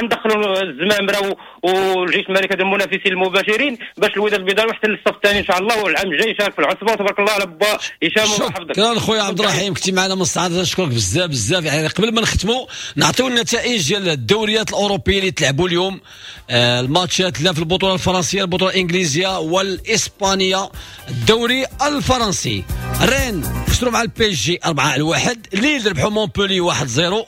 Speaker 17: غندخلوا الزمامره والجيش الملكي هاد المنافسين المباشرين باش الوداد البيضاوي يحتل الصف الثاني ان شاء الله، والعام الجاي يشارك في العصبة. وتبارك الله على با هشام الله يحفظك.
Speaker 2: شكرا خويا عبد الرحيم، كنتي معنا من الصعيد، نشكرك بزاف بزاف. يعني قبل ما نختموا نعطيو النتائج ديال الدوريات الاوروبية اللي تلعبوا اليوم، آه الماتشات لا في البطولة الفرنسية، البطولة الانجليزية والاسبانيه. الدوري الفرنسي، رين خسروا مع ال PSG أربعة لواحد، ليل ربحوا مونبولي واحد صفر.